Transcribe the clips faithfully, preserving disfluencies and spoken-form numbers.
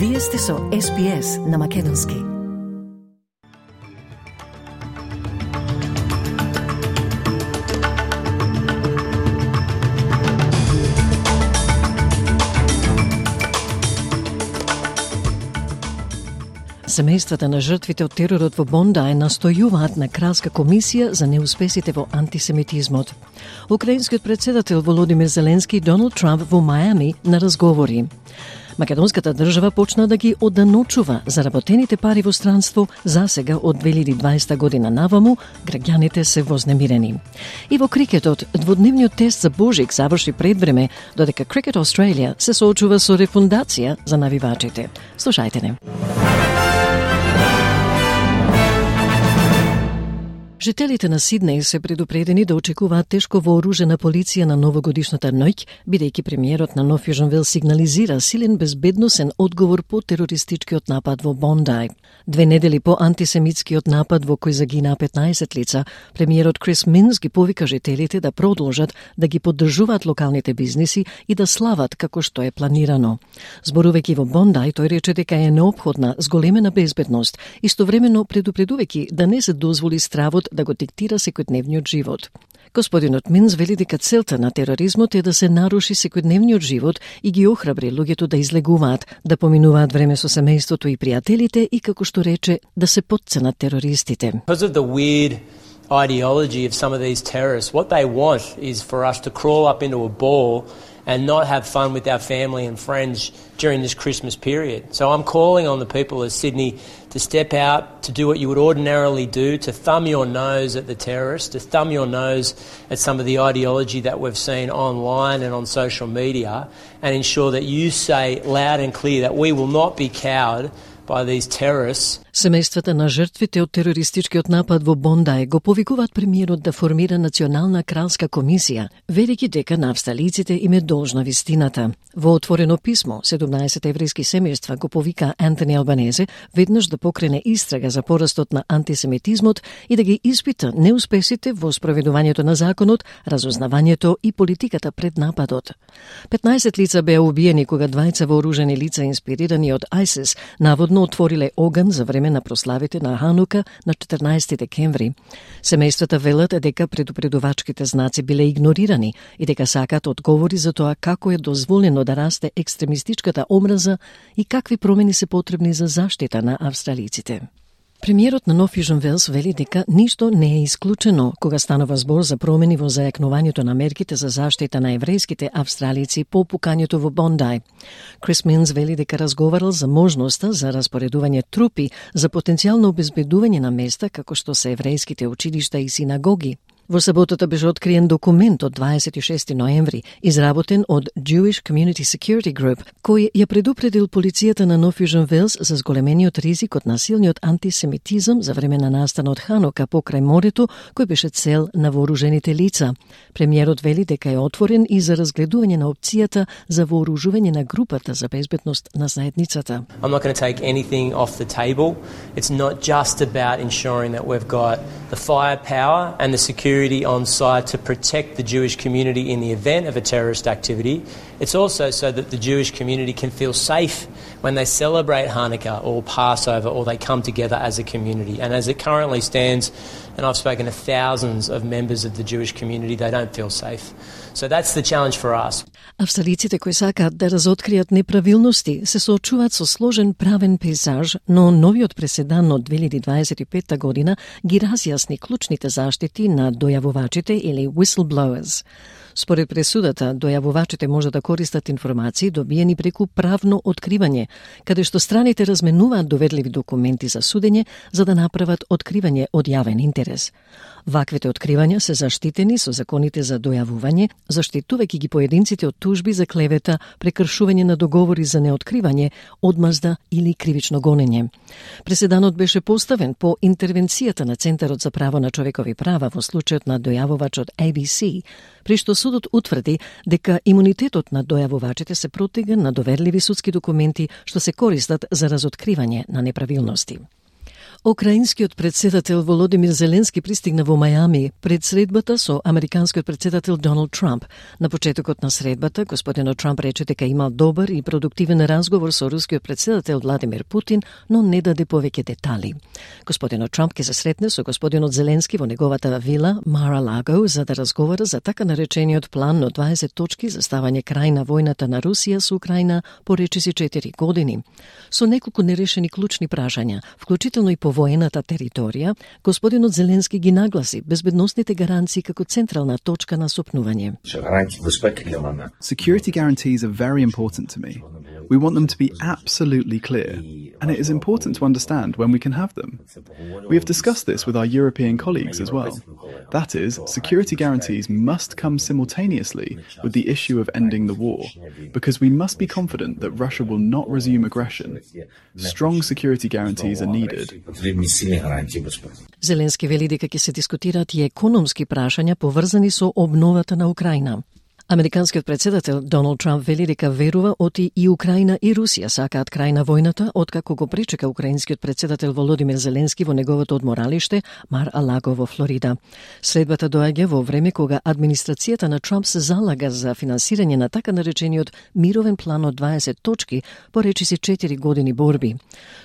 Вие сте со Ес Би Ес на Македонски. Семејствата на жртвите од теророт во Бондај настојуваат на Кралска комисија за неуспесите во антисемитизмот. Украинскиот председател Володимир Зеленски и Доналд Трамп во Мајами на разговори. Македонската држава почна да ги оданочува заработените пари во странство. Засега од две илјади и дваесета година наваму граѓаните се вознемирени. И во крикетот дводневниот тест за Божик заврши пред време, додека Cricket Australia се соочува со рефундација за навивачите. Слушајте не. Жителите на Сиднеј се предупредени да очекуваат тешко вооружена полиција на новогодишната ноќ, бидејќи премиерот на Нов Јужен Велс сигнализира силен безбедносен одговор по терористичкиот напад во Бондај. Две недели по антисемитскиот напад во кој загинаа петнаесет лица, премиерот Крис Минс ги повика жителите да продолжат да ги поддржуваат локалните бизниси и да слават како што е планирано. Зборувајќи во Бондај, тој рече дека е неопходна зголемена безбедност, истовремено предупредувајќи да не се дозволи стравот да го диктира секојдневниот живот. Господинот Минс вели дека целта на тероризмот е да се наруши секојдневниот живот и ги охрабри луѓето да излегуваат, да поминуваат време со семејството и пријателите и, како што рече, да се потценат терористите. Because of the weird ideology of some of these terrorists, what they want is for us to crawl up into a ball and not have fun with our family and friends during this Christmas period. So I'm calling on the people of Sydney to step out, to do what you would ordinarily do, to thumb your nose at the terrorists, to thumb your nose at some of the ideology that we've seen online and on social media, and ensure that you say loud and clear that we will not be cowed by these terrorists. Семејствата на жртвите од терористичкиот напад во Бондај го повикуваат премиерот да формира национална кралска комисија, велики дека на австралиците им е должна вистината. Во отворено писмо, седумнаесет еврејски семејства го повика Антони Албанезе веднаш да покрене истрага за порастот на антисемитизмот и да ги испита неуспесите во спроведувањето на законот, разузнавањето и политиката пред нападот. петнаесет лица беа убиени кога двајца вооружени лица инспирирани од ISIS наводно отвориле оган за време на прославите на Ханука на четрнаесети декември. Семејствата велат дека предупредувачките знаци биле игнорирани и дека сакаат одговори за тоа како е дозволено да расте екстремистичката омраза и какви промени се потребни за заштита на австралиците. Премиерот на Нов Јужен Велс вели дека ништо не е исклучено кога станува збор за промени во зајакнувањето на мерките за заштита на еврејските австралици по пукањето во Бондај. Крис Минс вели дека разговарал за можноста за распоредување трупи за потенцијално обезбедување на места како што се еврејските училишта и синагоги. Во саботата беше откриен документ од дваесет и шести ноември, изработен од Jewish Community Security Group, кој ја предупредил полицијата на Нов Јужен Велс за зголемениот ризик од насилниот антисемитизам за време на настанот Ханука покрај морето, кој беше цел на вооружените лица. Премиерот вели дека е отворен и за разгледување на опцијата за вооружување на групата за безбедност на заедницата. I'm not going to take anything off the table. It's not just about ensuring that we've got the firepower and the security on site to protect the Jewish community in the event of a terrorist activity. It's also so that the Jewish community can feel safe when they celebrate Hanukkah or Passover or they come together as a community. And as it currently stands, and I've spoken to thousands of members of the Jewish community, they don't feel safe. So that's the challenge for us. Австралиците кои сакаат да разоткријат неправилности се соочуваат со сложен правен пейзаж, но новиот преседан од две илјади дваесет и петта година ги разјасни клучните заштити на дојавувачите или whistleblowers. Според пресудата, дојавувачите може да користат информации добиени преку правно откривање, каде што страните разменуваат доверливи документи за судење за да направат откривање од јавен интерес. Ваквите откривања се заштитени со законите за дојавување, заштитувајќи ги поединците од тужби за клевета, прекршување на договори за неоткривање, одмазда или кривично гонење. Преседанот беше поставен по интервенцијата на Центарот за право на човекови права во случајот на дојавувачот A B C, при што судот утврди дека имунитетот на дојавувачите се протега на доверливи судски документи што се користат за разоткривање на неправилности. Украинскиот председател Володимир Зеленски пристигна во Мајами пред средбата со американскиот председател Доналд Трамп. На почетокот на средбата, господинот Трамп рече дека имал добар и продуктивен разговор со рускиот председател Владимир Путин, но не даде повеќе детали. Господинот Трамп ќе се сретне со господинот Зеленски во неговата вила Мар-а-Лаго за да разговара за така наречениот план од дваесет точки за ставање крај на војната на Русија со Украина по речиси четири години. Со неколку нерешени клучни прашања, вклучително и по воената територија, господинот Зеленски ги нагласи безбедносните гаранции како централна точка на сопнување. Security guarantees are very important to me. We want them to be absolutely clear, and it is important to understand when we can have them. We have discussed this with our European colleagues as well. That is, security guarantees must come simultaneously with the issue of ending the war, because we must be confident that Russia will not resume aggression. Strong security guarantees are needed. Зеленски вели дека ќе се дискутираат и економски прашања поврзани со обновата на Украина. Американскиот председател Доналд Трамп вели дека верува оти и Украина и Русија сакаат крај на војната, откако го пречека украинскиот председател Володимир Зеленски во неговото одморалиште Мар-а-Лаго во Флорида. Следбата доаѓа во време кога администрацијата на Трамп се залага за финансирање на така наречениот мировен план од дваесет точки по речиси четири години борби.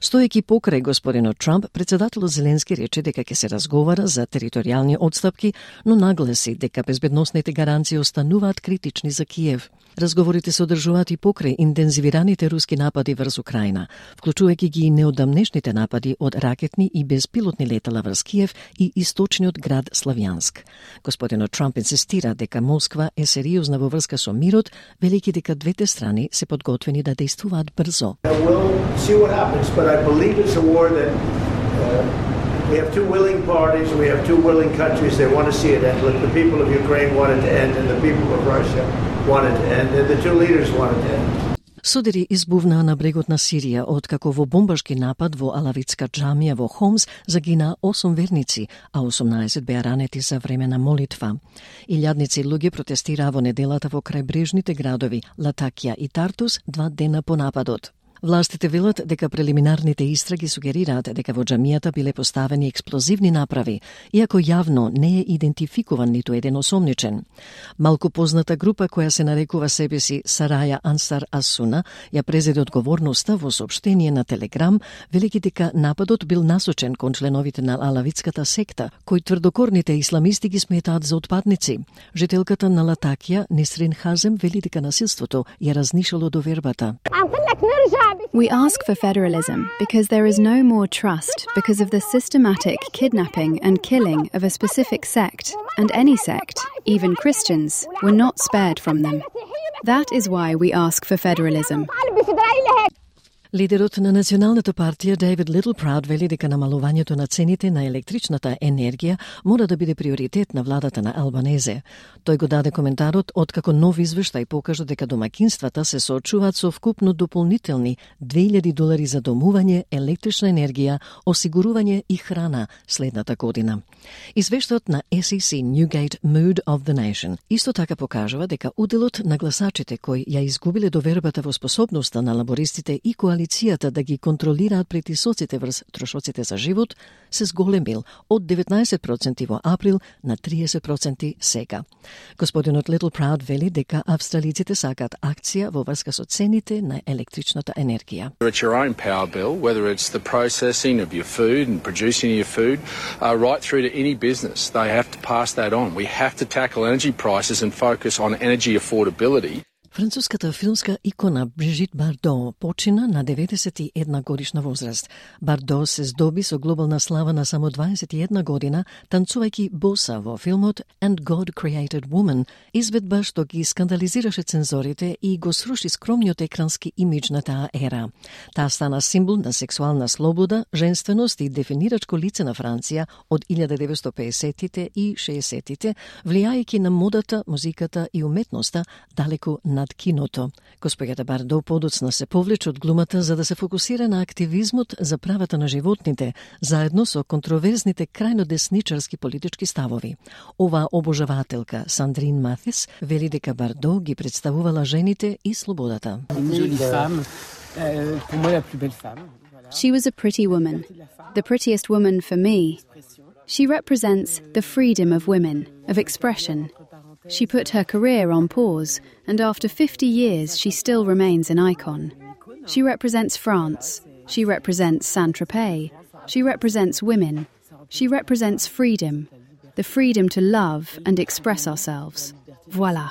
Стоејќи покрај господинот Трамп, председателот Зеленски рече дека ќе се разговара за територијални отстапки, но нагласи дека безбедносните гаранции остануваат критични за Киев. Разговорите се одржуваат и покрај интензивираните руски напади врз Украина, вклучувајќи ги и неодамнешните напади од ракетни и безпилотни летала врз Киев и источниот град Славјанск. Господинот Трамп инсистира дека Москва е сериозна во врска со мирот, велики дека двете страни се подготвени да действуваат брзо. We have two willing parties, we have two willing countries, they want to see it end. Look, the people of Ukraine want it to end, and the people of Russia want it to end, and the two leaders want it to end. Содери избувнаа на брегот на Сирија, откако во бомбашки напад во Алавитска џамија во Хомс загинаа осум верници, а осумнаесет беа ранети за време на молитва. Илјадници луѓе протестираа во неделата во крајбрежните градови Латакија и Тартус два дена по нападот. Властите велат дека прелиминарните истраги сугерираат дека во џамијата биле поставени експлозивни направи, иако јавно не е идентификуван ниту еден осомничен. Малку позната група која се нарекува себе си Сараја Ансар Асуна ја презеде одговорноста во соопштение на Телеграм, велики дека нападот бил насочен кон членовите на алавитската секта, кои тврдокорните исламисти ги сметаат за отпадници. Жителката на Латакија, Несрин Хазем, вели дека насилството ја разнишало довербата. We ask for federalism because there is no more trust because of the systematic kidnapping and killing of a specific sect, and any sect, even Christians, were not spared from them. That is why we ask for federalism. Лидерот на Националната партија Дейвид Литлпрауд вели дека намалувањето на цените на електричната енергија мора да биде приоритет на владата на Албанезе. Тој го даде коментарот откако нов извештај покажа дека домаќинствата се соочуваат со вкупно дополнителни две илјади долари за домување, електрична енергија, осигурување и храна следната година. Извештајот на С И Си Newgate Mood of the Nation исто така покажува дека уделот на гласачите кои ја изгубиле довербата во способноста на лабористите и коалицијата да ги контролираат притисоците врз трошоците за живот се зголемил од деветнаесет проценти во април на триесет проценти сега. Господинот Литлпрауд вели дека австралиците сакаат акција во врска со цените на електричната енергија. It's your own power bill, whether it's the processing of your food and producing your food, uh, right through to any business. They have to pass that on. We have to tackle energy prices and focus on energy affordability. Француската филмска икона Брижит Бардо почина на деветдесет и една годишна возраст. Бардо се здоби со глобална слава на само дваесет и една година, танцувајќи боса во филмот And God Created Woman, изведба што ги скандализираше цензорите и го сруши скромниот екрански имидж на таа ера. Таа стана символ на сексуална слобода, женственост и дефинирачко лице на Франција од илјада деветстотини и педесеттите и шеесеттите, влијајќи на модата, музиката и уметноста далеку над киното. Господјата Бардо подоцна се повлече од глумата за да се фокусира на активизмот за правата на животните, заедно со контроверзните крајно десничарски политички ставови. Ова обожавателка Сандрин Матис вели дека Бардо ги представувала жените и слободата. She was a pretty woman, the prettiest woman for me. She represents the freedom of women, of expression. She put her career on pause, and after fifty years she still remains an icon. She represents France. She represents Saint-Tropez. She represents women. She represents freedom, the freedom to love and express ourselves. Voilà.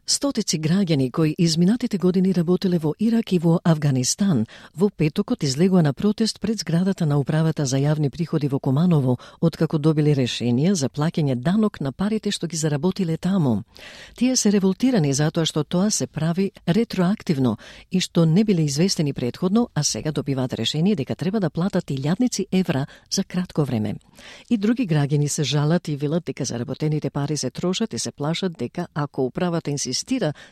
Стотици граѓани кои изминатите години работеле во Ирак и во Авганистан, во петокот излегува на протест пред зградата на Управата за јавни приходи во Куманово, откако добили решение за плаќање данок на парите што ги заработиле таму. Тие се револтирани затоа што тоа се прави ретроактивно и што не биле известени претходно, а сега добиваат решение дека треба да платат илјадници евра за кратко време. И други граѓани се жалат и велат дека заработените пари се трошат и се плашат дека ако управата инсистира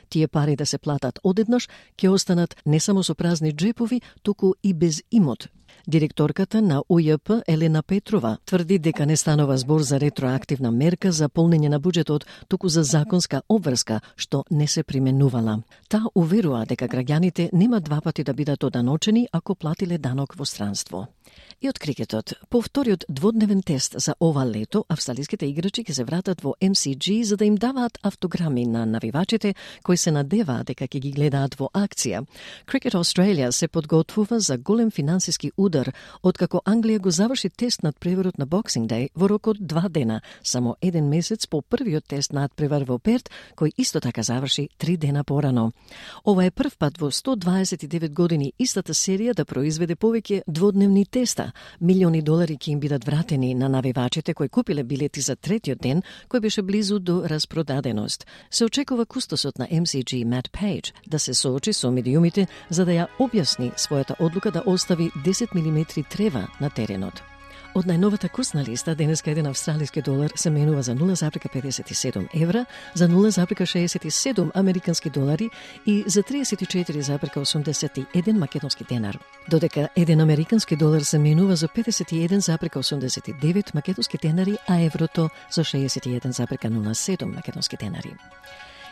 тие пари да се платат одеднаш, ќе останат не само со празни джепови, туку и без имот. Директорката на У Ј П Елена Петрова тврди дека не станува збор за ретроактивна мерка за полнење на буџетот, туку за законска обврска што не се применувала. Таа уверува дека граѓаните нема два пати да бидат оданочени ако платиле данок во странство. И од крикетот, по вториот дводневен тест за ова лето, австралиските играчи ќе се вратат во Ем Си Джи за да им даваат автограми на навивачите кои се надеваат дека ќе ги гледаат во акција. Cricket Australia се подготвува за голем финансиски удар, откако Англија го заврши тест над преварот на Boxing Day во рок од два дена, само еден месец по првиот тест над превар во Перт, кој исто така заврши три дена порано. Ова е прв пат во сто дваесет и девет години истата серија да произведе повеќе дводневни теста. Милиони долари ќе им бидат вратени на навивачите кои купиле билети за третиот ден, кој беше близу до распродаденост. Се очекува кустосот на Ем Си Джи Мат Пейдж да се соочи со медиумите за да ја објасни својата одлука да остави десет милиметри трева на теренот. Од најновата курсна листа, денеска еден австралиски долар се менува за нула запирка педесет и седум евра, за нула запирка шеесет и седум американски долари и за триесет и четири запирка осумдесет и еден македонски денар. Додека еден американски долар се менува за педесет и еден запирка осумдесет и девет македонски денари, а еврото за шеесет и еден запирка нула седум македонски денари.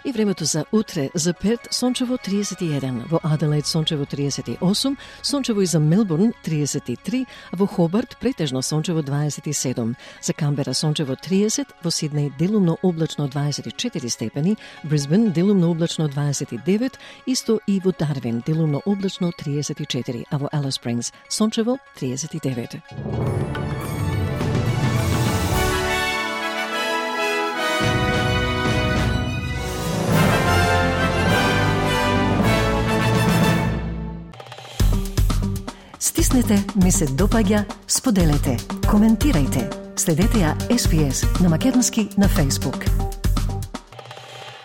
И времето за утре: за Перт сончево триесет и еден, во Аделаид сончево триесет и осум, сончево и за Мелбурн триесет и три, а во Хобарт претежно сончево дваесет и седум, за Камбера сончево триесет, во Сиднеј делумно облачно дваесет и четири степени, Брисбен делумно облачно дваесет и девет, исто и во Дарвин делумно облачно триесет и четири, а во Алис Спрингс сончево триесет и девет. Стиснете, ми се допаѓа, споделете, коментирајте. Следете ја Ес Би Ес на македонски на Facebook.